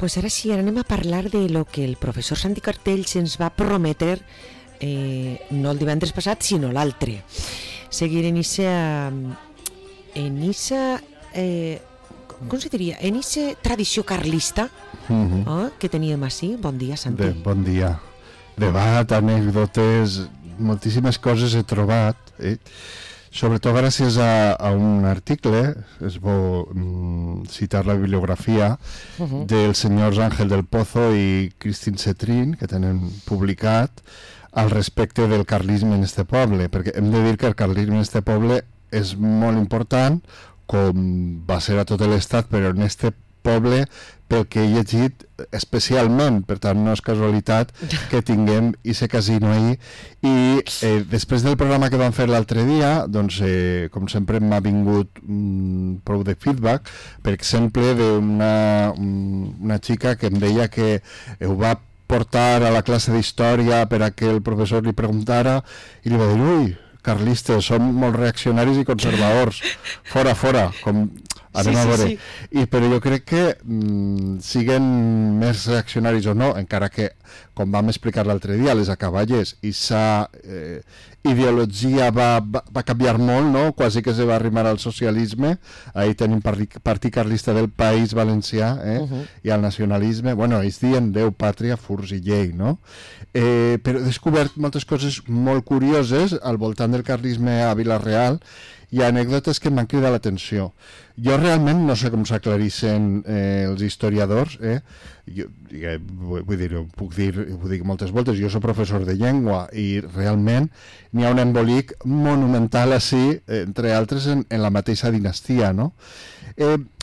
pues ara sí, anem a parlar de lo que el professor Santi Cartells ens va prometre no el divendres passat, sinó l'altre. Seguir en issa com se diria? En issa tradició carlista que teníem així. Bon dia, Santi. Bon dia. Debat, anècdotes, moltíssimes coses he trobat, sobretot gràcies a un article, és bo citar la bibliografia dels senyors Ángel del Pozo i Cristín Cetrín, que tenen publicat al respecte del carlisme en este poble, perquè hem de dir que el carlisme en este poble és molt important, com va ser a tot l'estat, però en este poble, pel que he llegit especialment, per tant no és casualitat que tinguem aquest casino ahir. I després del programa que vam fer l'altre dia, doncs com sempre m'ha vingut prou de feedback, per exemple d'una xica que em deia que ho va portar a la classe d'història per a que el professor li preguntara i li va dir, ui, carlistes, som molt reaccionaris i conservadors, fora, com anem a veure. Però jo crec que siguen més reaccionaris o no, encara que, com vam explicar l'altre dia, les acaballes, i sa ideologia va canviar molt, no? Quasi que se va arrimar al socialisme. Ahí tenim Partit Carlista del País Valencià i al nacionalisme. Bueno, ells diuen Déu, pàtria, furs i llei, no? Però he descobert moltes coses molt curioses al voltant del carlisme a Vila-real. Hi ha anècdotes que m'han cridat l'atenció. Jo realment no sé com s'aclarissin els historiadors, vull dir, ho dic moltes voltes, jo soc professor de llengua i realment n'hi ha un embolic monumental així, entre altres en la mateixa dinastia, no?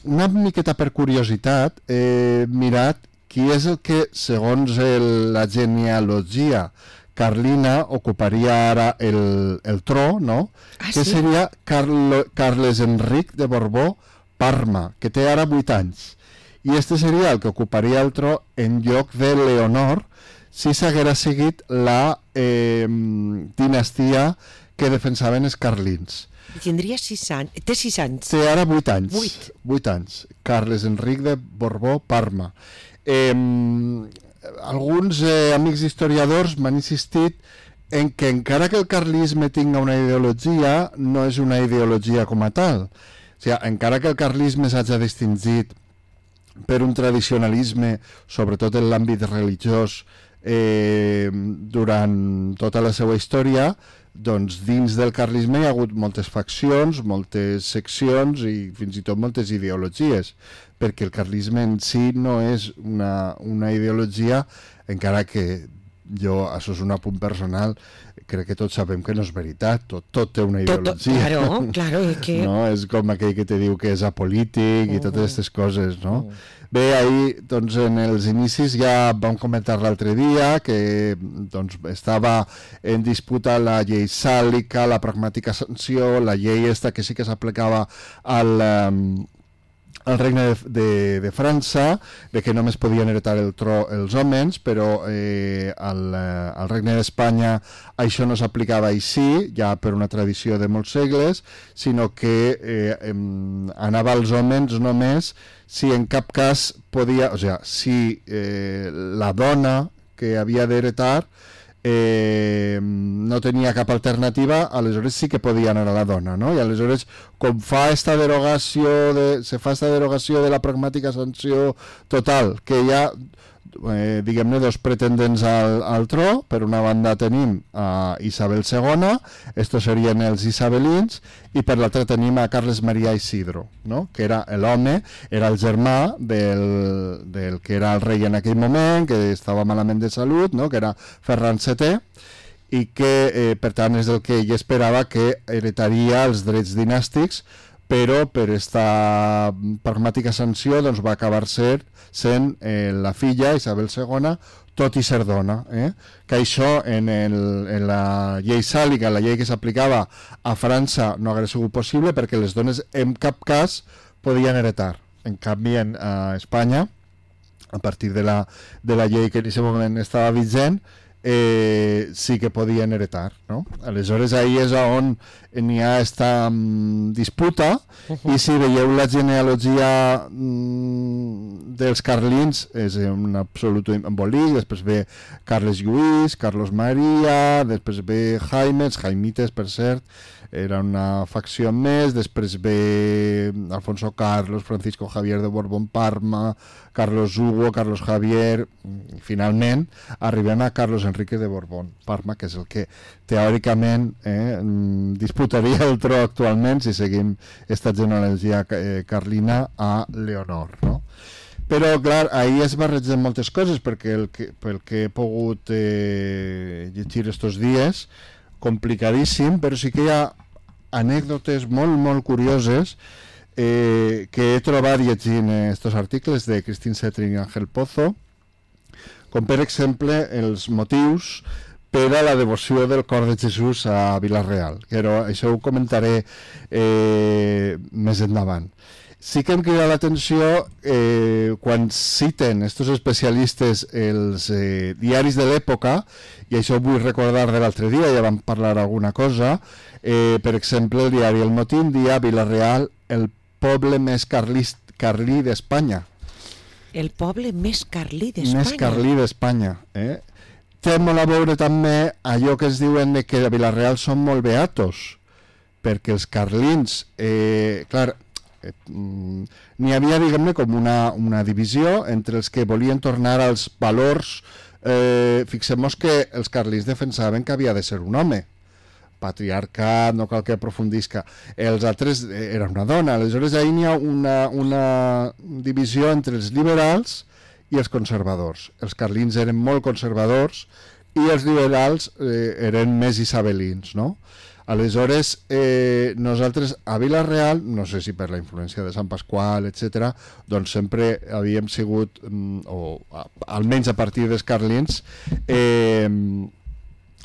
Una miqueta per curiositat he mirat qui és el que, segons la genealogia carlina, ocuparia ara el tro, no? Que seria Carles Enric de Borbó Parma, que té ara 8 anys. I este seria el que ocuparia el tro en lloc de Leonor si s'haguera seguit la dinastia que defensaven els carlins. Tindria 6 anys. Té 6 anys. Té ara 8 anys. 8 anys. Carles Enric de Borbó Parma. Alguns amics historiadors m'han insistit en que encara que el carlisme tinga una ideologia, no és una ideologia com a tal. O sigui, encara que el carlisme s'hagi distingit per un tradicionalisme, sobretot en l'àmbit religiós, durant tota la seva història, doncs dins del carlisme hi ha hagut moltes faccions, moltes seccions i fins i tot moltes ideologies, perquè el carlisme en si no és una ideologia, encara que jo, això és un apunt personal, crec que tots sabem que no és veritat, tot té una ideologia. Claro, no? És com aquell que te diu que és apolític i totes aquestes coses, no? Bé, ahir, doncs, en els inicis ja vam comentar l'altre dia que doncs, estava en disputa la llei sàlica, la pragmàtica sanció, la llei esta que sí que s'aplicava al regne de França, de que només podien heretar el tro els homes, però al regne d'Espanya això no s'aplicava així, ja per una tradició de molts segles, sinó que anava als homes només si en cap cas podia, o sigui, si la dona que havia d'heretar no tenia cap alternativa, aleshores sí que podia anar a la dona, no? I aleshores, com se fa esta derogació de la pragmàtica sanció total, que hi ha diguem-ne dos pretendents al tro. Per una banda tenim a Isabel II, estos serien els isabelins, i per l'altra tenim a Carles Maria Isidro, no? Que era l'home, era el germà del que era el rei en aquell moment, que estava malament de salut, no? Que era Ferran VII, i que per tant és el que ell esperava, que heretaria els drets dinàstics, però per esta pragmàtica sanció doncs, va acabar sent la filla, Isabel II, tot i ser dona. Que això en la llei sàlica, la llei que s'aplicava a França, no hauria sigut possible perquè les dones en cap cas podien heretar. En canvi, a Espanya, a partir de la llei que en aquest moment estava vigent, sí que podien heretar, no? Aleshores ahí és on n'hi ha esta disputa, i si veieu la genealogia dels carlins és un absolut embolic. Després ve Carles Lluís, Carlos Maria, després ve Jaimites, per cert, era una facció més. Després ve Alfonso Carlos, Francisco Javier de Borbón-Parma, Carlos Hugo, Carlos Javier, i finalment arribem a Carlos Enrique de Borbón-Parma, que és el que teòricament disputaria el tro actualment si seguim esta genealogia carlina a Leonor, no? Però, clar, ahir es barregen moltes coses, perquè pel que he pogut llegir estos dies, complicadíssim, però sí que hi ha anècdotes molt, molt curioses que he trobat llegint estos articles de Cristín Cetrin i Ángel Pozo, com per exemple els motius per a la devoció del cor de Jesús a Vila-real, però això ho comentaré més endavant. Sí que em crida l'atenció quan citen estos especialistes els diaris de l'època, i això ho vull recordar de l'altre dia, ja vam parlar alguna cosa. Per exemple, el diari El Motín dia Vila-real, el poble més carlí d'Espanya. El poble més carlí d'Espanya. Més carlí d'Espanya. Té molt a veure també allò que es diuen de que a Vila-real són molt beatos, perquè els carlins, clar, n'hi havia, diguem-ne, com una divisió entre els que volien tornar als valors. Fixem-nos que els carlins defensaven que havia de ser un home, patriarcat, no cal que aprofundisca. Els altres era una dona. Aleshores ahir n'hi ha una divisió entre els liberals i els conservadors. Els carlins eren molt conservadors i els liberals eren més isabelins, no? Aleshores, nosaltres a Vila-real, no sé si per la influència de Sant Pasqual, etc., doncs sempre havíem sigut, o almenys a partir dels carlins,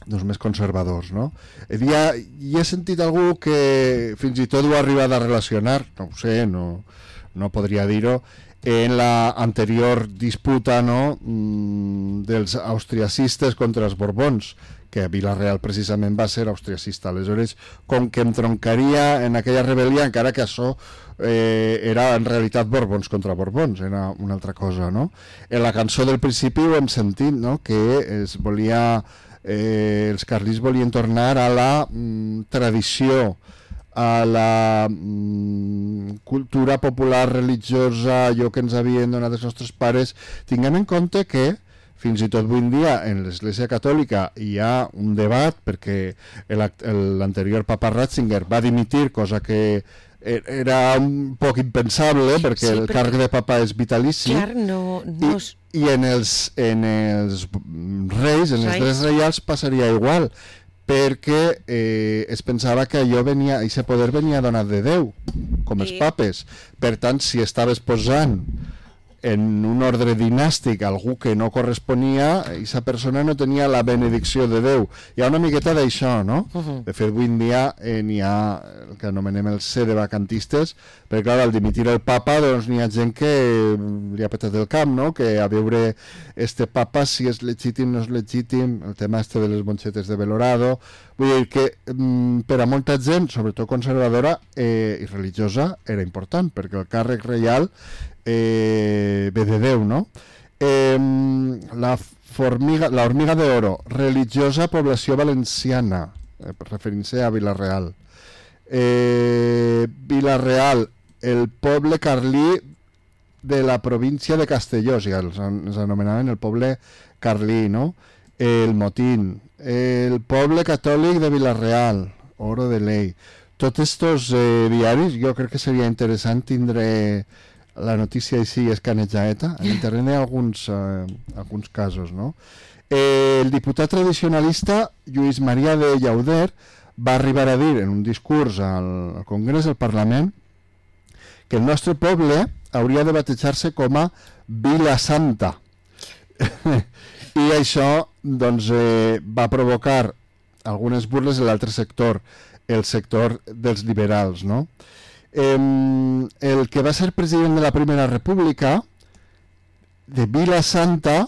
doncs més conservadors, no? I he sentit algú que fins i tot ho ha arribat a relacionar, no ho sé, no podria dir-ho, en la anterior disputa, no, dels austriacistes contra els borbons, que Vila-real precisament va ser austriacista. Aleshores, com que em troncaria en aquella rebel·lia, encara que això era en realitat borbons contra borbons, era una altra cosa, no? En la cançó del principi ho hem sentit, no?, que es volia, els carlins volien tornar a la tradició, a la cultura popular religiosa, allò que ens havien donat els nostres pares. Tinguem en compte que fins i tot avui en dia en l'Església Catòlica hi ha un debat, perquè l'anterior papa Ratzinger va dimitir, cosa que era un poc impensable, perquè el càrrec de papa és vitalici. Clar, I en els reis, en els drets reials passaria igual, perquè es pensava que aquest poder venia donat de Déu, com els papes. Per tant, si estaves posant en un ordre dinàstic algú que no corresponia, aquesta persona no tenia la benedicció de Déu. Hi ha una miqueta d'això, no? De fet, avui en dia n'hi ha el que anomenem el sedevacantistes, perquè clar, al dimitir el papa doncs n'hi ha gent que li ha petat el camp, no? Que a veure este papa si és legítim, no és legítim, el tema este de les monxetes de Belorado. Vull dir que per a molta gent, sobretot conservadora i religiosa, era important, perquè el càrrec reial ve de Déu, no? La hormiga de oro, religiosa població valenciana, referint-se a Vila-real. Vila-real, el poble carlí de la província de Castelló, o sigui, els anomenaven el poble carlí, no? El Motín, el poble catòlic de Vila-real, Oro de Ley. Tots estos diaris, jo crec que seria interessant tindre la notícia així escanejada. En internet hi ha alguns casos, no? El diputat tradicionalista Lluís Maria de Llauder va arribar a dir en un discurs al Congrés del Parlament que el nostre poble hauria de batejar-se com a Vila Santa. I això doncs, va provocar algunes burles de l'altre sector, el sector dels liberals, no? El que va ser president de la Primera República, de Vila Santa,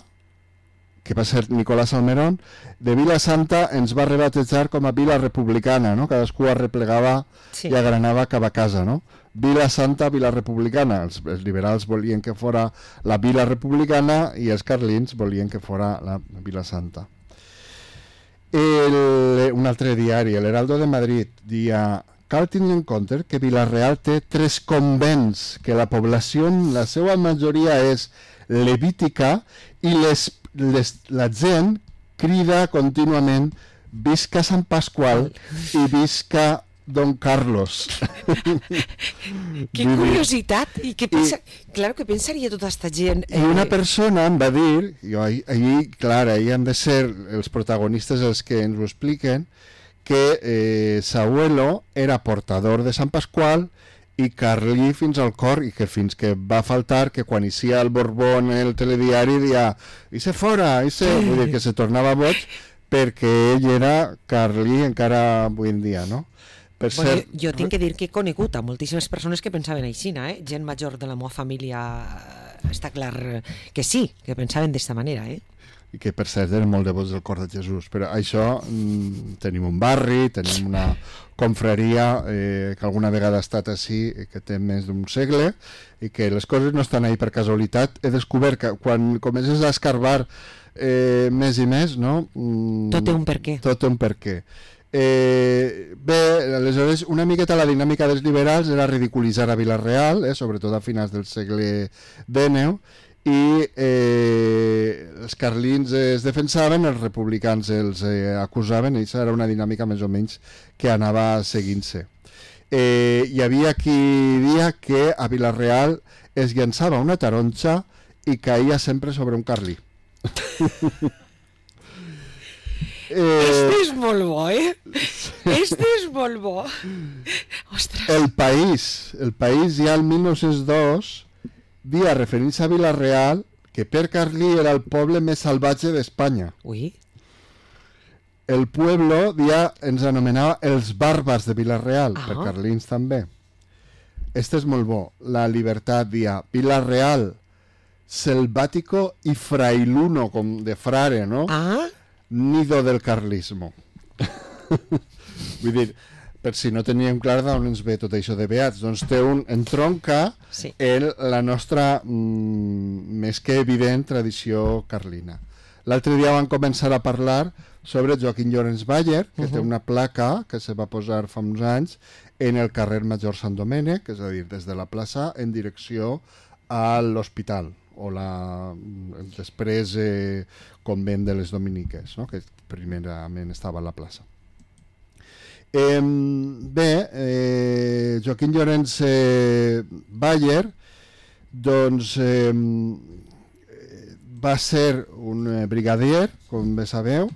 que va ser Nicolás Salmerón, de Vila Santa ens va rebatejar com a Vila Republicana, no? Cadascú arreplegava i agranava cap a casa, no? Vila Santa, Vila Republicana. Els liberals volien que fora la Vila Republicana i els carlins volien que fora la Vila Santa. Un altre diari, el Heraldo de Madrid, dia: cal tenir en compte que Vila-real té 3 convents, que la població, la seva majoria és levítica i la gent crida contínuament visca Sant Pasqual i visca Don Carlos. Que curiositat! I què pensa... Claro, què pensaria tota aquesta gent? I una persona em va dir, ahir han de ser els protagonistes els que ens ho expliquen, que Sabuelo era portador de Sant Pasqual i carlí fins al cor, i que fins que va faltar que quan eixia el Borbó en el telediari dia «Ixe fora, ixe...» Vull dir que se tornava boig perquè ell era carlí encara avui en dia, no? Bueno, jo tinc que dir que he conegut a moltíssimes persones que pensaven així, gent major de la meva família, està clar que sí, que pensaven d'esta manera, I que per cert eren molt devots del cor de Jesús. Però això, tenim un barri, tenim una confraria que alguna vegada ha estat així, que té més d'un segle, i que les coses no estan ahí per casualitat. He descobert que quan comences a escarbar més i més, no? Tot té un perquè. Tot té un perquè. Bé, aleshores una miqueta la dinàmica dels liberals era ridiculitzar a Vila-real, sobretot a finals del segle XIX, i els carlins es defensaven, els republicans els acusaven, i això era una dinàmica més o menys que anava seguint-se. Hi havia qui dia que a Vila-real es llançava una taronja i caïa sempre sobre un carlí. Este és molt bo, Este és molt bo. Ostres. El País ja el 1902 dia, referint-se a Vila-real, que per carlí era el poble més salvatge d'Espanya. Ui. El pueblo dia ens anomenava els bàrbars de Vila-real, per carlins també. Este és molt bo. La Libertat dia, Vila-real, selvático y frailuno, com de frare, no? Nido del carlismo. Vull dir, per si no teníem clar d'on ens ve tot això de beats, doncs té entronca la nostra més que evident tradició carlina. L'altre dia van començar a parlar sobre Joaquín Llorens Bayer, que té una placa que se va posar fa uns anys en el carrer Major Sant Domènec, és a dir, des de la plaça en direcció a l'hospital, o després convent de les Dominiques, no? Que primerament estava a la plaça. Bé, Joaquín Llorens Bayer doncs va ser un brigadier, com bé sabeu.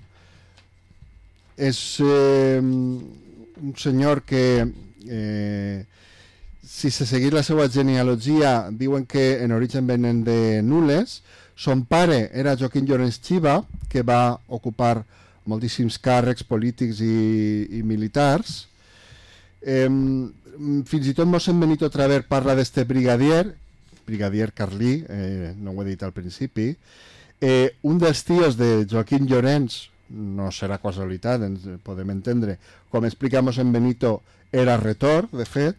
És un senyor que si se seguís la seva genealogia diuen que en origen venen de Nules. Son pare era Joaquín Llorens Chiva, que va ocupar moltíssims càrrecs polítics i militars. Fins i tot mossèn Benito Traver parla d'este brigadier carlí, no ho he dit al principi. Un dels tios de Joaquín Llorens, no serà casualitat, ens podem entendre, com explica mossèn Benito, era retor, de fet,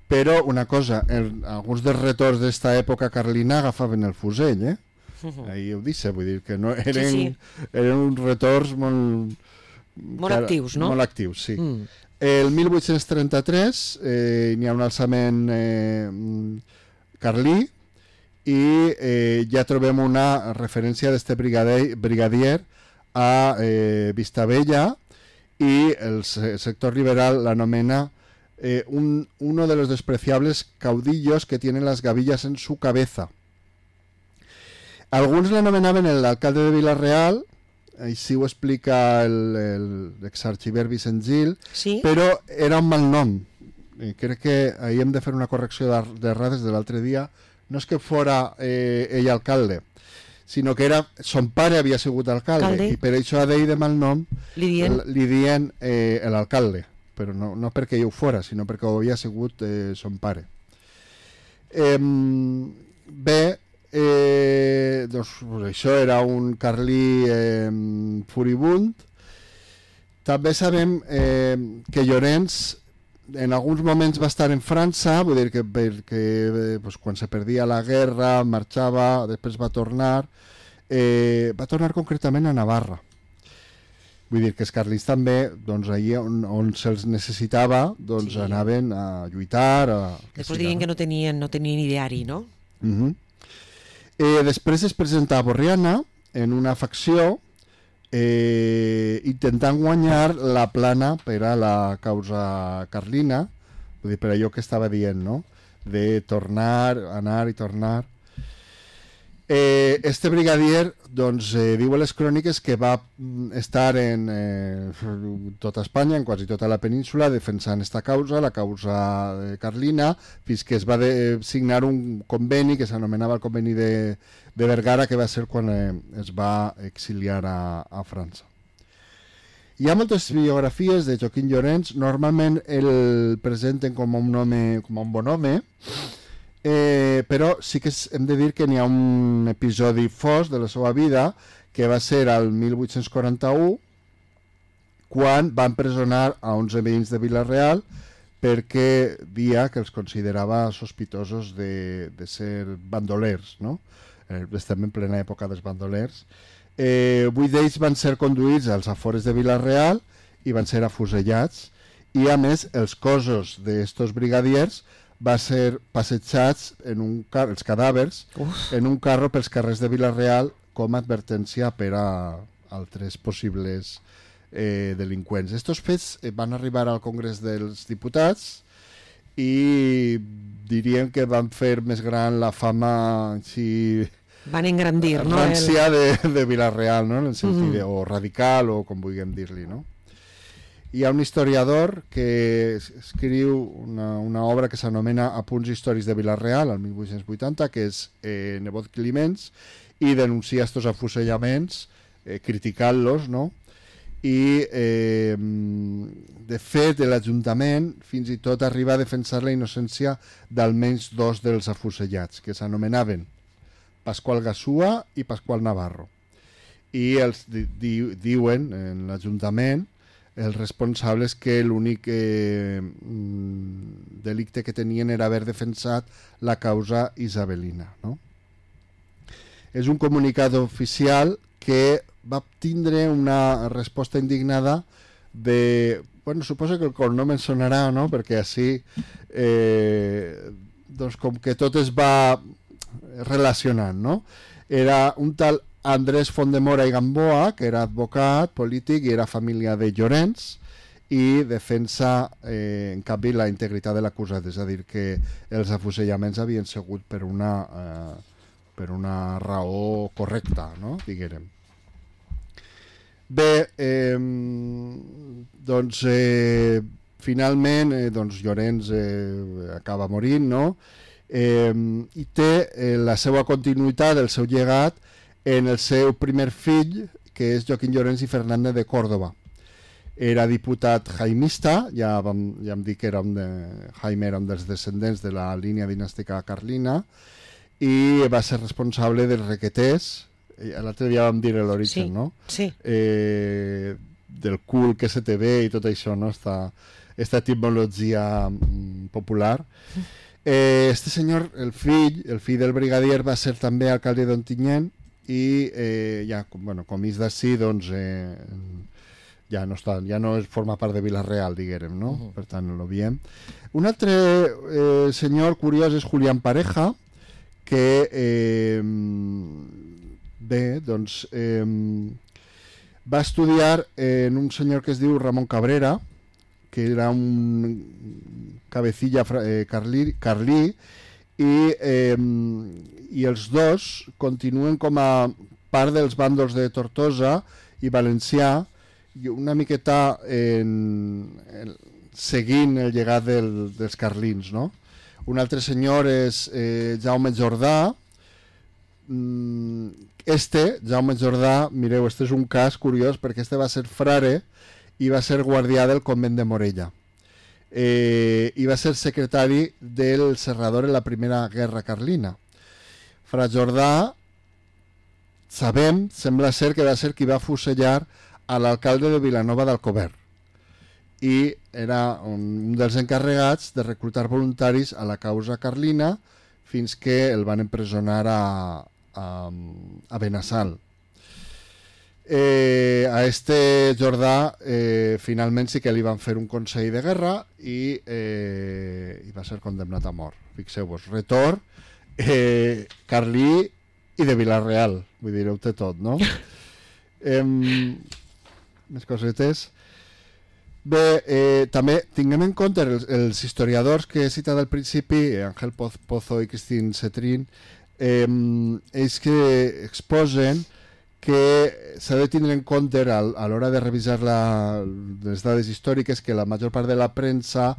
però una cosa, alguns dels retors d'esta època carlina agafaven el fusell, ahí ho dice, vull dir que no eren uns retors molt actius, no? Molt actius, sí. El 1833 n'hi ha un alçament carlí i ja trobem una referència d'este brigadier a Vistabella, i el sector liberal l'anomena uno de los despreciables caudillos que tienen las gavillas en su cabeza. Alguns l'anomenaven l'alcalde de Vila-real, així ho explica l'exarxiver Vicent Gil, però era un mal nom. Crec que ahir hem de fer una correcció d'errades de l'altre dia. No és que fora ell alcalde, sinó que son pare havia sigut alcalde, i per això a d'ell de mal nom li dien l'alcalde, però no perquè ell ho fora, sinó perquè ho havia sigut son pare. Bé, doncs això era un carlí furibund. També sabem que Llorenç en alguns moments va estar en França, vull dir que perquè quan se perdia la guerra marxava, després va tornar concretament a Navarra. Vull dir que els carlins també, doncs allà on se'ls necessitava, doncs anaven a lluitar. Després diuen que no tenien ideari, no? Després es presenta a Borriana en una facció intentant guanyar la plana per a la causa carlina, vull dir, per allò que estava dient, no? De tornar, anar i tornar. Este brigadier, doncs, diu a les cròniques que va estar en tota Espanya, en quasi tota la península, defensant esta causa, la causa carlina, fins que es va signar un conveni que s'anomenava el conveni de Vergara, que va ser quan es va exiliar a França. Hi ha moltes biografies de Joaquim Llorenç, normalment el presenten com un bon home, però sí que hem de dir que n'hi ha un episodi fosc de la seva vida, que va ser al 1841, quan va empresonar a 11 veïns de Vila-real perquè dia que els considerava sospitosos de ser bandolers, no? Estem en plena època dels bandolers. 8 d'ells van ser conduïts als afores de Vila-real i van ser afusellats, i a més els cossos d'estos brigadiers va ser passejats els cadàvers en un carro pels carrers de Vila-real com a advertència per a altres possibles delinqüents. Estos fets van arribar al Congrés dels Diputats i diríem que van fer més gran la fama, si van engrandir, no? Rància de Vila-real, no? En el sentit o radical, o com vulguem dir-li, no? Hi ha un historiador que escriu una obra que s'anomena Apunts històrics de Vila-real, el 1880, que és Nebot Climenç, i denuncia estos afusellaments, criticant-los, no? I, de fet, l'Ajuntament fins i tot arriba a defensar la innocència d'almenys 2 dels afusellats, que s'anomenaven Pasqual Gasúa i Pasqual Navarro. I els diuen en l'Ajuntament els responsables que l'únic delicte que tenien era haver defensat la causa isabelina, no? És un comunicat oficial que va tindre una resposta indignada de... Bueno, suposo que el cognom em sonarà, no? Perquè així doncs com que tot es va relacionant, no? Era un tal Andrés Fondemora i Gamboa, que era advocat, polític i era família de Llorenç, i defensa, en canvi, la integritat de l'acusat, és a dir, que els afusellaments havien sigut per una raó correcta, no? Diguérem. Bé, doncs, finalment, doncs, Llorenç acaba morint, no? I té la seva continuïtat, el seu llegat, en el seu primer fill, que és Joaquim Llorenç i Fernández de Córdoba. Era diputat jaimista, ja hem dit que Jaime era un dels descendents de la línia dinàstica carlina, i va ser responsable dels requeters, l'altre dia vam dir l'origen, no? Sí. Del cul que se te ve i tot això, no? Esta etimologia popular. Este senyor, el fill del brigadier, va ser també alcalde d'Ontinyent, i ja, bueno, com és d'ací, doncs ja no forma part de Vila-real, diguérem, no? Per tant, no l'obviem. Un altre senyor curiós és Julián Pareja, que bé, doncs va estudiar en un senyor que es diu Ramon Cabrera, que era un cabecilla carlí, i els dos continuen com a part dels bàndols de Tortosa i Valencià, i una miqueta seguint el llegat dels carlins, no? Un altre senyor és Jaume Jordà. Jaume Jordà, mireu, este és un cas curiós perquè este va ser frare i va ser guardià del convent de Morella. I va ser secretari del Serrador en la primera guerra carlina. Fra Jordà, sembla ser que va ser qui va fusellar a l'alcalde de Vilanova d'Alcover i era un dels encarregats de reclutar voluntaris a la causa carlina fins que el van empresonar a Benassal. A este Jordà finalment sí que li van fer un consell de guerra i va ser condemnat a mort. Fixeu-vos, retor, carlí i de Vila-real, vull dir, ho té tot, no? Més cosetes. Bé, també tinguem en compte els historiadors que he citat al principi, Ángel Pozo i Cristín Cetrín, ells que exposen que s'ha de tindre en compte a l'hora de revisar les dades històriques que la major part de la premsa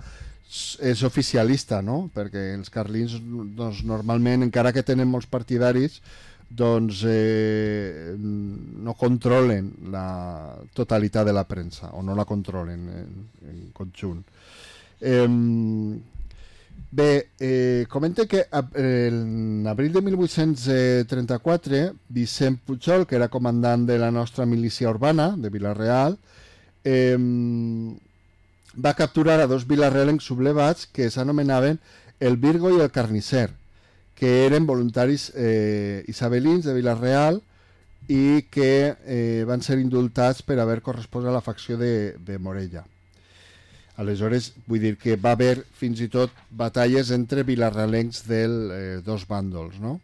és oficialista, no? Perquè els carlins doncs, normalment, encara que tenen molts partidaris, doncs no controlen la totalitat de la premsa o no la controlen en conjunt. Bé, comenta que en abril de 1834 Vicent Pujol, que era comandant de la nostra milícia urbana de Vila-real, va capturar a 2 vilarrealencs sublevats que s'anomenaven el Virgo i el Carnisser, que eren voluntaris isabelins de Vila-real i que van ser indultats per haver correspost a la facció de Morella. Aleshores, vull dir que va haver fins i tot batalles entre vilarrealencs dels dos bàndols, no?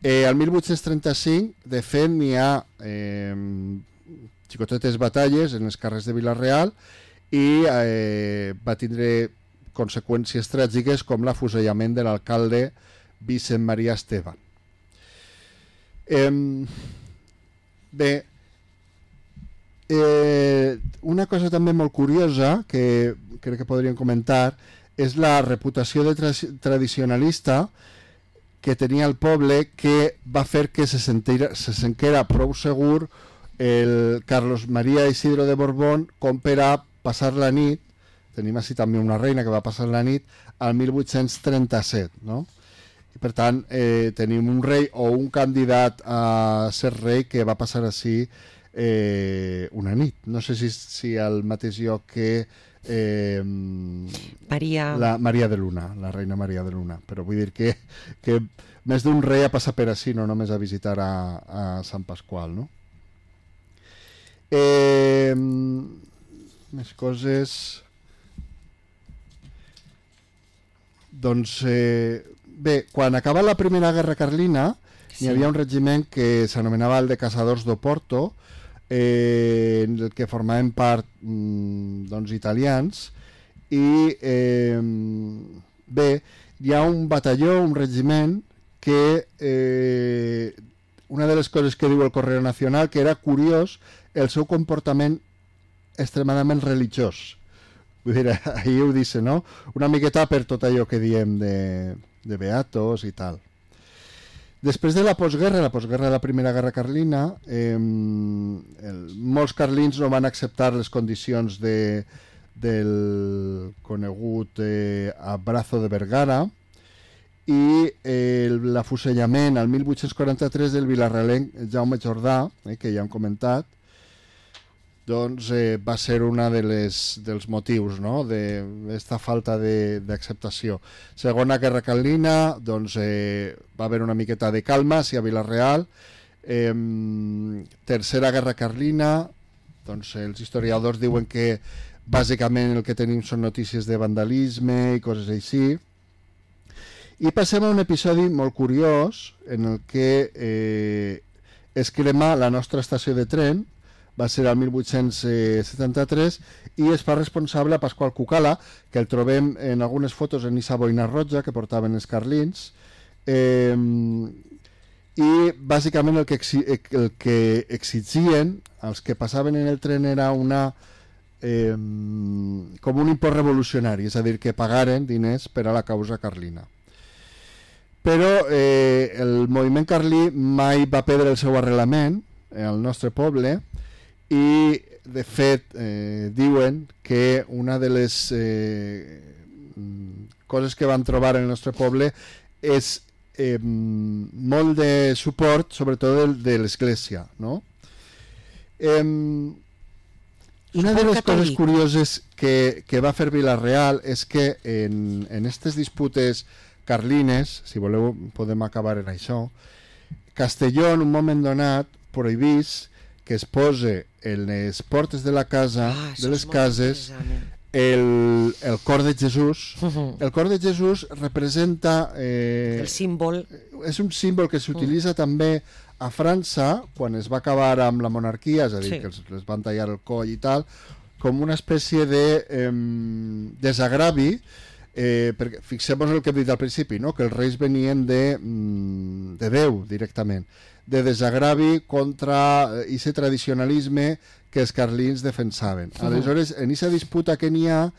Al 1835, de fet, n'hi ha xicotetes batalles en els carrers de Vila-real i va tindre conseqüències tràgiques com l'afusellament de l'alcalde Vicent Maria Esteve. Bé, una cosa també molt curiosa que crec que podríem comentar és la reputació de tradicionalista que tenia el poble, que va fer que se sentia prou segur el Carlos María Isidro de Borbón com per a passar la nit. Tenim així també una reina que va passar la nit al 1837, no? I per tant tenim un rei o un candidat a ser rei que va passar així una nit. No sé si al mateix lloc que la Maria de Luna, la reina Maria de Luna, però vull dir que més d'un rei ha passat per així, no només a visitar a Sant Pasqual, no? Més coses. Doncs bé, quan acaba la Primera Guerra Carlina hi havia un regiment que s'anomenava el de Caçadors d'Oporto, en el que formaven part doncs, italians, i bé, hi ha un batalló, un regiment que una de les coses que diu el Correo Nacional que era curiós el seu comportament extremadament religiós. Vull dir, ahir ho dice, no? Una miqueta per tot allò que diem de beatos i tal. Després de la postguerra de la Primera Guerra Carlina, molts carlins no van acceptar les condicions del conegut Abrazo de Vergara i l'afusellament al 1843 del vilarrealenc Jaume Jordà, que ja hem comentat, doncs va ser un dels motius, no?, d'esta falta d'acceptació. Segona Guerra Carlina, doncs va haver una miqueta de calma a Vila-real. Tercera Guerra Carlina, doncs els historiadors diuen que bàsicament el que tenim són notícies de vandalisme i coses així. I passem a un episodi molt curiós en el que es crema la nostra estació de tren. Va ser el 1873 i es fa responsable a Pasqual Cucala, que el trobem en algunes fotos en esa boina roja que portaven els carlins, i bàsicament el que exigien els que passaven en el tren era com un import revolucionari, és a dir, que pagaren diners per a la causa carlina. Però el moviment carlí mai va perdre el seu arrelament al nostre poble i de fet diuen que una de les coses que van trobar en el nostre poble és molt de suport, sobretot de l'Església, no? Una de les coses curioses que va fer Vila-real és que en aquestes disputes carlines, si voleu podem acabar en això, Castelló en un moment donat prohibís que es pose en les portes de la casa, de les cases, el cor de Jesús. El cor de Jesús representa... el símbol. És un símbol que s'utilitza també a França, quan es va acabar amb la monarquia, és a dir, que els van tallar el coll i tal, com una espècie de desagravi, perquè fixem-nos el que hem dit al principi, no? Que els reis venien de Déu directament, de desagravi contra aquest tradicionalisme que els carlins defensaven. Aleshores, en aquesta disputa que n'hi ha,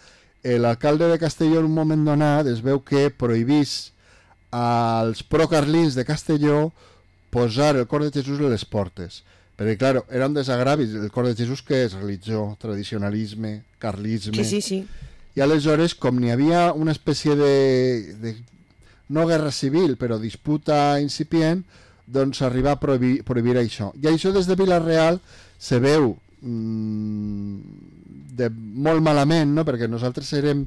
l'alcalde de Castelló en un moment donat es veu que prohibís als procarlins de Castelló posar el cor de Jesús a les portes. Perquè, clar, era un desagravi. El cor de Jesús, que és religió, tradicionalisme, carlisme... Sí. I aleshores, com n'hi havia una espècie de no guerra civil, però disputa incipient, doncs s'arriba a prohibir això. I això des de Vila-real se veu molt malament, no? Perquè nosaltres érem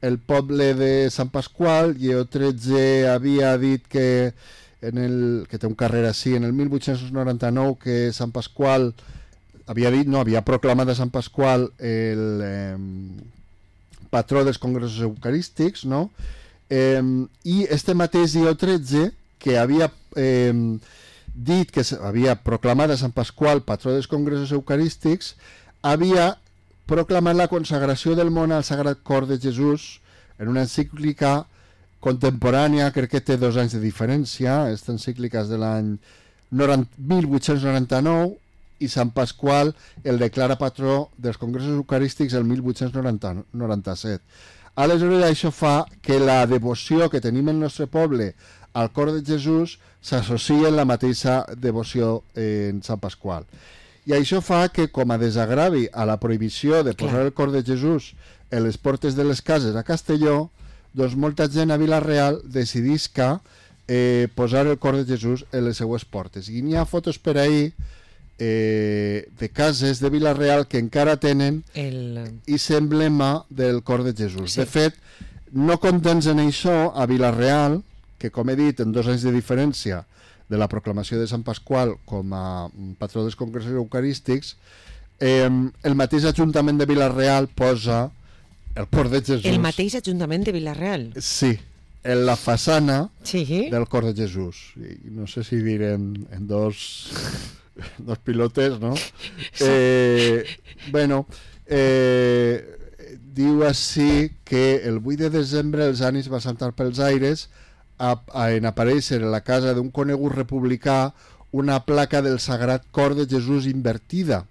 el poble de Sant Pasqual i Lleó XIII havia dit que té un carrer així, en el 1899, que Sant Pasqual havia proclamat a Sant Pasqual el patró dels congressos eucarístics, no? I este mateix Lleó XIII, que havia dit que havia proclamat a Sant Pasqual patró dels congressos eucarístics, havia proclamat la consagració del món al Sagrat Cor de Jesús en una encíclica contemporània, crec que té 2 anys de diferència. Aquesta encíclica és de l'any 1899 i Sant Pasqual el declara patró dels congressos eucarístics el 1897. Aleshores, això fa que la devoció que tenim en el nostre poble al cor de Jesús s'associa en la mateixa devoció en Sant Pasqual. I això fa que, com a desagravi a la prohibició de posar el cor de Jesús en les portes de les cases a Castelló, doncs molta gent a Vila-real decidisca posar el cor de Jesús en les seues portes. I n'hi ha fotos per ahir de cases de Vila-real que encara tenen aquest emblema del cor de Jesús. De fet, no contents en això, a Vila-real, que com he dit, en 2 anys de diferència de la proclamació de Sant Pasqual com a patró dels congressos eucarístics, el mateix Ajuntament de Vila-real posa el cor de Jesús. El mateix Ajuntament de Vila-real? Sí, en la façana del cor de Jesús. I no sé si direm en dos pilotes, no? Diu així que el 8 de desembre els ànims van saltar pels aires en aparèixer en la casa d'un conegut republicà una placa del Sagrat Cor de Jesús invertida.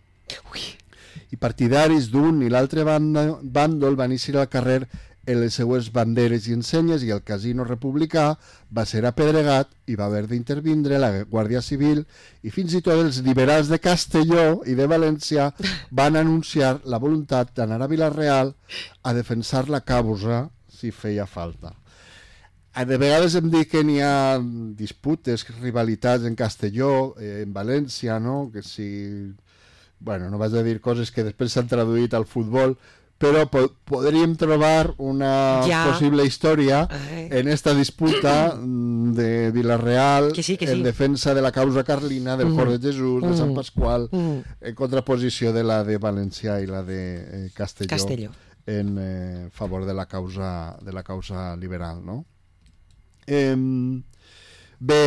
I partidaris d'un i l'altre bàndol van eixir al carrer en les seues banderes i ensenyes, i el casino republicà va ser apedregat i va haver d'intervindre la Guàrdia Civil, i fins i tot els liberals de Castelló i de València van anunciar la voluntat d'anar a Vila-real a defensar la causa si feia falta. De vegades em dic que n'hi ha disputes, rivalitats en Castelló, en València, no? Que si... Bueno, no vaig a dir coses que després s'han traduït al futbol, però podríem trobar una possible història en esta disputa de Vila-real en defensa de la causa carlina, del cor de Jesús, de Sant Pasqual, en contraposició de la de València i la de Castelló. En favor de la causa liberal, no? Bé,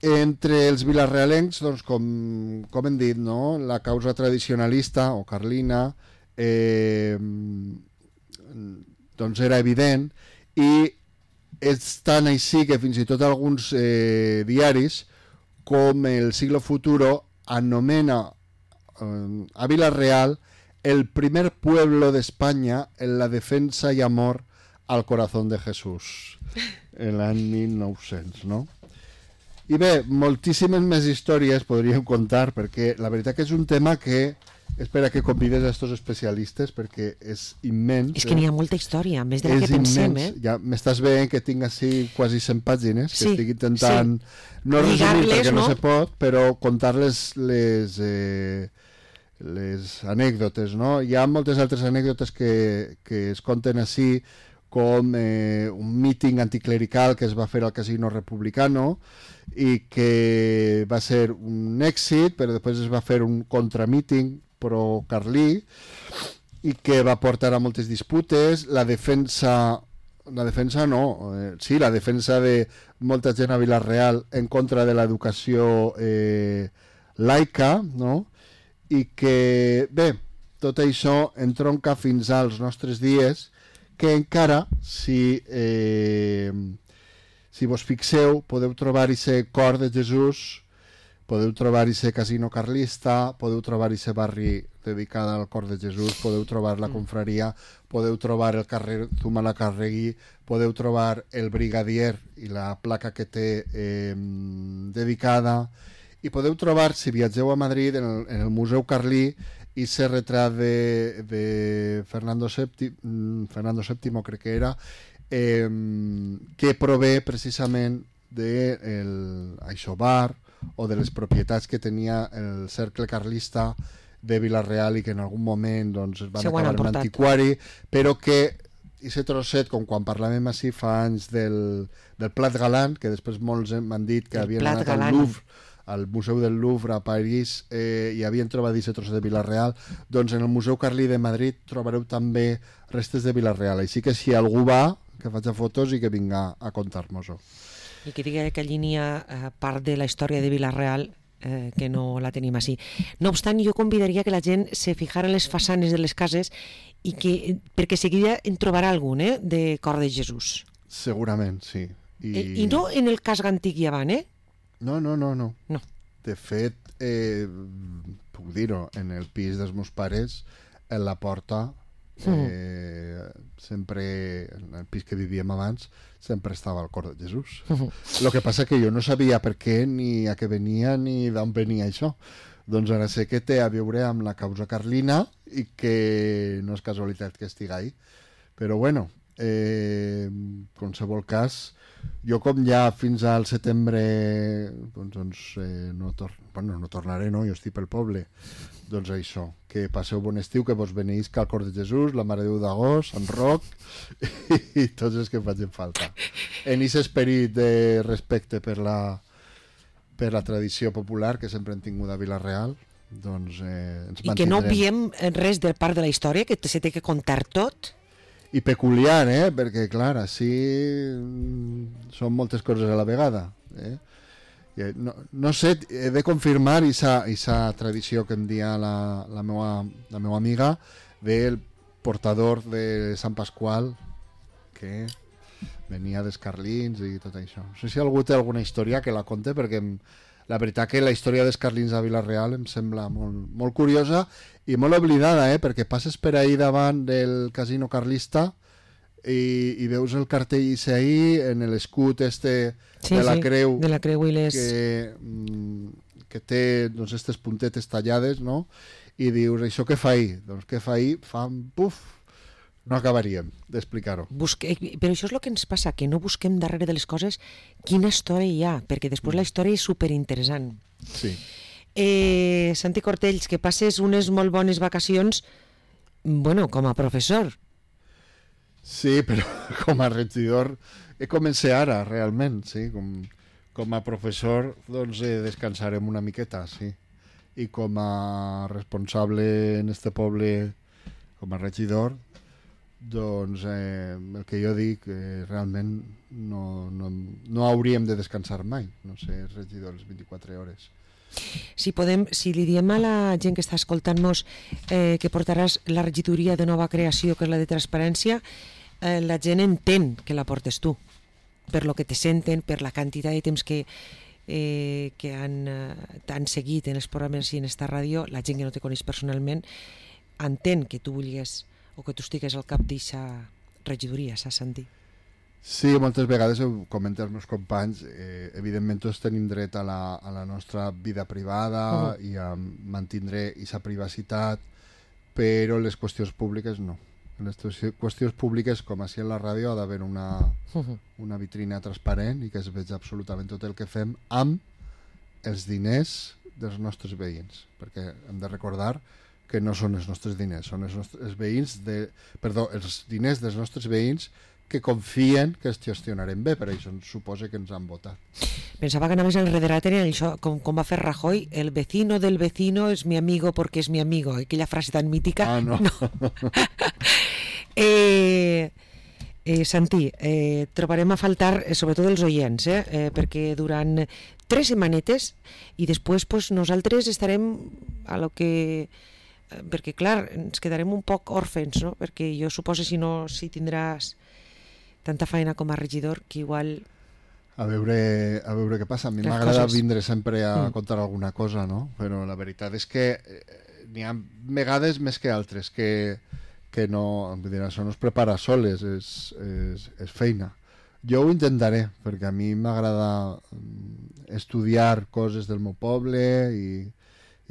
entre els vilarealencs, doncs, com hem dit, no? La causa tradicionalista o carlina doncs era evident, i és tan així que fins i tot alguns diaris com el Siglo Futuro anomena a Vila-real el primer pueblo de España en la defensa y amor al corazón de Jesús, en l'any 1900, no? I bé, moltíssimes més històries podríem contar, perquè la veritat que és un tema que espera que convides a estos especialistes perquè és immens. És que n'hi ha molta història, més de la que pensem. Ja m'estàs veient que tinc així quasi 100 pàgines, que estic intentant no resumir perquè no se pot, però contar les anècdotes, no? Hi ha moltes altres anècdotes que es conten així, com un míting anticlerical que es va fer al Casino Republicano i que va ser un èxit, però després es va fer un contramíting pro-carlí i que va portar a moltes disputes. La defensa de molta gent a Vila-real en contra de l'educació laica, no? I que, bé, tot això entronca fins als nostres dies, que encara, si vos fixeu, podeu trobar aquest cor de Jesús, podeu trobar aquest casino carlista, podeu trobar aquest barri dedicat al cor de Jesús, podeu trobar la confraria, podeu trobar el carrer Zumalacárregui, podeu trobar el Brigadier i la placa que té dedicada, i podeu trobar, si viatgeu a Madrid, en el Museu Carlí, i ese retrat de Fernando VII, crec que era, que prové precisament d'això bar o de les propietats que tenia el cercle carlista de Vila-real i que en algun moment doncs, es van acabar en antiquari, però que aquest trosset, com quan parlàvem així fa anys del Plat Galant, que després molts m'han dit que havien anat al Louvre, al Museu del Louvre a París, i havien trobat aquest trosset de Vila-real, doncs en el Museu Carlí de Madrid trobareu també restes de Vila-real. Així que si algú va, que faci fotos i que vinga a contar-nos-ho. I que digui que allí n'hi ha part de la història de Vila-real que no la tenim així. No obstant, jo convidaria que la gent se fijara en les façanes de les cases i perquè seguida en trobarà algun de Cor de Jesús. Segurament, sí. I no en el casc antic i avant, No. De fet, puc dir-ho, en el pis dels meus pares, en la porta, sempre, en el pis que vivíem abans, sempre estava el cor de Jesús. El que passa que jo no sabia per què, ni a què venia, ni d'on venia això. Doncs ara sé que té a veure amb la causa carlina i que no és casualitat que estigui ahí. Però bueno, en qualsevol cas, jo com ja fins al setembre no tornaré, no? Jo estic pel poble. Doncs això, que passeu bon estiu, que vos beneïsca el cor de Jesús, la Mare de Déu d'Agost, Sant Roc i tots els que facin falta. En aquest esperit de respecte per la tradició popular que sempre hem tingut a Vila-real, doncs ens mantindrem. I que no obviem res de part de la història, que se té que contar tot. I peculiar, perquè clar, així són moltes coses a la vegada. No sé, he de confirmar aquesta tradició que em dia la meva amiga del portador de Sant Pasqual, que venia dels carlins i tot això. No sé si algú té alguna història que la conte, perquè la veritat que la història dels carlins a Vila-real em sembla molt, molt curiosa i molt oblidada, perquè passes per ahí davant del casino carlista i veus el cartell ahí en l'escut de la creu, de la creu i les... que té doncs, aquestes puntetes tallades, no? I dius, això què fa ahí? Doncs què fa ahí? No acabaríem d'explicar-ho. Però això és el que ens passa, que no busquem darrere de les coses quina història hi ha, perquè després la història és superinteressant. Sí. Santi Cortells, que passes unes molt bones vacacions, com a professor. Sí, però com a regidor he començat ara, realment, sí. Com a professor, doncs descansarem una miqueta, sí. I com a responsable en este poble, com a regidor, doncs el que jo dic, realment no hauríem de descansar mai, no sé, regidor les 24 hores. Si li diem a la gent que està escoltant-nos que portaràs la regidoria de nova creació, que és la de transparència, la gent entén que la portes tu, per lo que te senten, per la quantitat de temps que t'han seguit en els programes i en esta ràdio. La gent que no te coneix personalment entén que tu vulguis o que tu estigues al cap d'aquesta regidoria, saps, Santi? Sí, moltes vegades ho comenten els meus companys, evidentment tots tenim dret a la nostra vida privada i a mantindre aquesta privacitat, però les qüestions públiques no. En les qüestions públiques, com així en la ràdio, ha d'haver una vitrina transparent i que es veig absolutament tot el que fem amb els diners dels nostres veïns, perquè hem de recordar que no són els nostres diners, són els diners dels nostres veïns que confien que els gestionarem bé, per això suposa que ens han votat. Pensava que anaves enrederat en això, com va fer Rajoy, el vecino del vecino es mi amigo porque es mi amigo, aquella frase tan mítica. Ah, no. Santi, trobarem a faltar sobretot els oients, perquè durant 3 setmanetes i després pues, nosaltres estarem a lo que... perquè clar, ens quedarem un poc òrfens, no? Perquè jo suposo si tindràs tanta feina com a regidor que igual... A veure què passa. A mi m'agrada vindre sempre a contar alguna cosa, no? Però la veritat és que n'hi ha vegades més que altres que no, vull dir, això no es prepara soles, és feina. Jo ho intentaré, perquè a mi m'agrada estudiar coses del meu poble i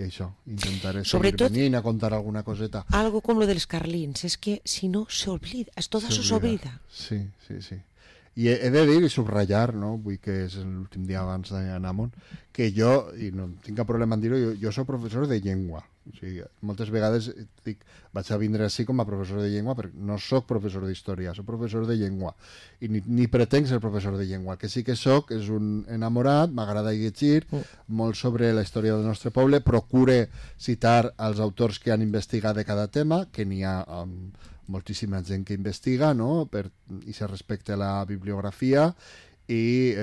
això, intentaré seguir venint a contar alguna coseta. Algo com lo dels carlins, és que si no s'oblida, tot això s'oblida. Sí. I he de dir i subratllar, no? Vull que és l'últim dia abans d'anar amunt, que jo, i no tinc cap problema en dir-ho, jo soc professor de llengua. O sigui, moltes vegades dic, vaig a vindre així com a professor de llengua, perquè no soc professor d'història, soc professor de llengua. I ni pretenc ser professor de llengua. El que sí que soc és un enamorat, m'agrada llegir molt sobre la història del nostre poble, procure citar els autors que han investigat de cada tema, que n'hi ha moltíssima gent que investiga, no? I se respecta la bibliografia i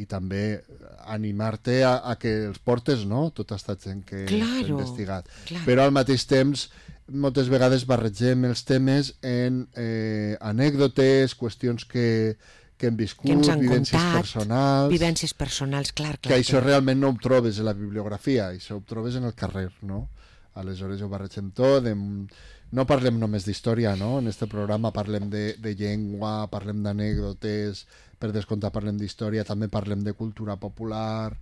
també animar-te a que els portes, no? Tota aquesta gent que ha investigat. Però al mateix temps moltes vegades barregem els temes en anècdotes, qüestions que hem viscut, vivències personals, clar. Que això realment no ho trobes a la bibliografia, això ho trobes en el carrer, no? Aleshores ho barregem tot, no parlem només d'història, no? En este programa parlem de llengua, parlem d'anècdotes, per descomptat parlem d'història, també parlem de cultura popular,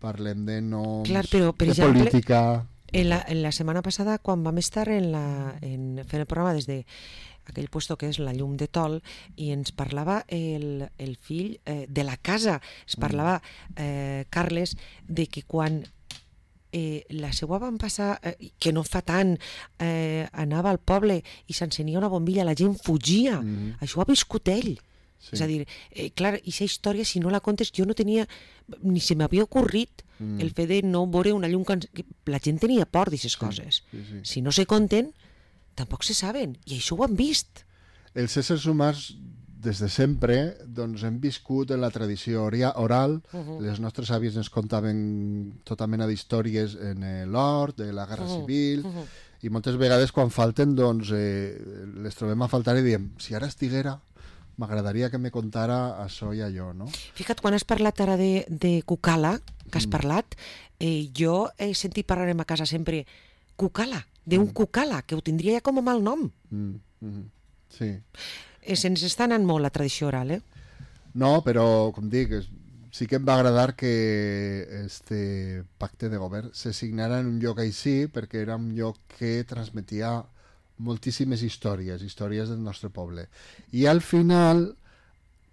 parlem de noms, per de exemple, política... En la setmana passada, quan vam estar fent el programa des de aquell puesto que és la llum de Tol, i ens parlava el fill de la casa, es parlava Carles, de que quan la seua van passar, que no fa tant, anava al poble i s'encenia una bombilla, la gent fugia. Això ho ha viscut ell. Sí. És a dir, clar, aquesta història, si no la contes, jo no tenia, ni se m'havia ocorrit el fet de no veure una llum que la gent tenia por d'aquestes coses. Sí. Si no se conten, tampoc se saben, i això ho han vist. Els éssers humans, des de sempre, doncs hem viscut en la tradició oral. Les nostres àvies ens contaven tota mena d'històries en l'hort, de la Guerra Civil, i moltes vegades quan falten, doncs, les trobem a faltar i diem, si ara estiguera, m'agradaria que me contara això i allò, no? Fica't, quan has parlat ara de Cucala, que has parlat, jo he sentit parlar a casa sempre Cucala, d'un Cucala, que ho tindria ja com a mal nom. Sí. Se'ns està anant molt la tradició oral, No, però, com dic, sí que em va agradar que este pacte de govern se signara en un lloc així, perquè era un lloc que transmetia moltíssimes històries del nostre poble. I al final,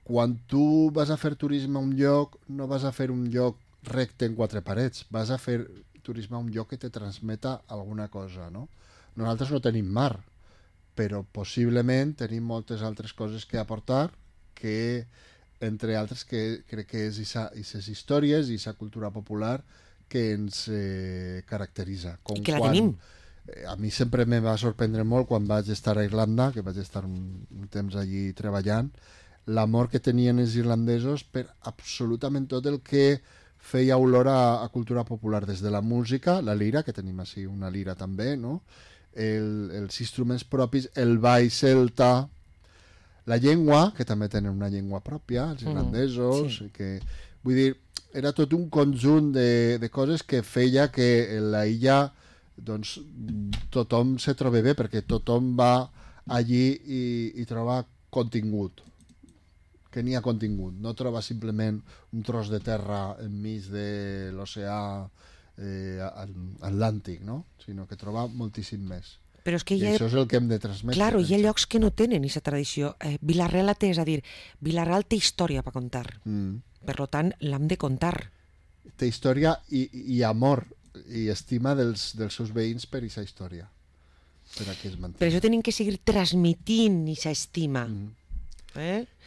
quan tu vas a fer turisme a un lloc, no vas a fer un lloc recte en 4 parets, vas a fer turisme a un lloc que te transmeta alguna cosa, no? Nosaltres no tenim mar, però possiblement tenim moltes altres coses que aportar, que, entre altres, que crec que és aquestes històries i aquesta cultura popular que ens caracteritza. I que la tenim. A mi sempre me va sorprendre molt quan vaig estar a Irlanda, que vaig estar un temps allí treballant, l'amor que tenien els irlandesos per absolutament tot el que feia olor a cultura popular, des de la música, la lira, que tenim així una lira també, no? Els instruments propis, el ball celta, la llengua, que també tenen una llengua pròpia, els irlandesos, que, vull dir, era tot un conjunt de coses que feia que la illa, doncs, tothom se troba bé, perquè tothom va allí i troba contingut. que n'hi ha contingut. No troba simplement un tros de terra enmig de l'oceà Atlàntic, no? Sinó que troba moltíssim més. Però és que I això és el que hem de transmetre. Claro, hi ha llocs que no tenen aquesta tradició. Vila-real la té, és a dir, Vila-real té història per contar. Per tant, l'hem de contar. Té història i amor i estima dels seus veïns per aquesta història. Per això tenim que seguir transmitint aquesta estima.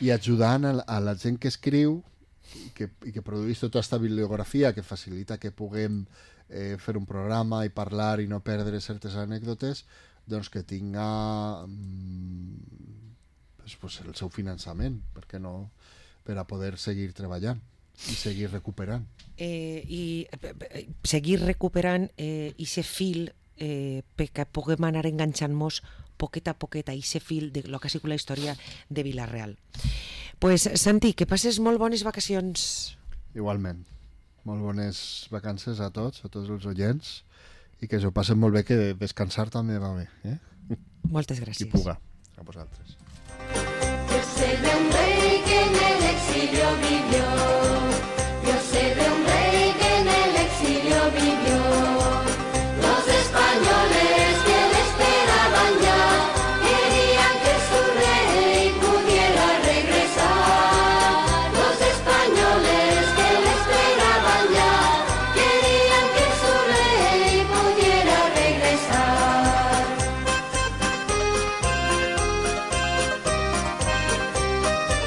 I ajudant a la gent que escriu i que produeix tota aquesta bibliografia que facilita que puguem fer un programa i parlar i no perdre certes anècdotes, doncs que tinga el seu finançament, per què no, per a poder seguir treballant i seguir recuperant. I seguir recuperant aquest fil perquè puguem anar enganxant-nos poquet a poquet a aquest fil de lo que ha sigut la història de Vila-real. Pues, Santi, que passes molt bones vacacions. Igualment. Molt bones vacances a tots els oients, i que s'ho passen molt bé, que descansar també va bé. Moltes gràcies. Qui puga, a vosaltres. Es el de un rey que en el exilio vivió.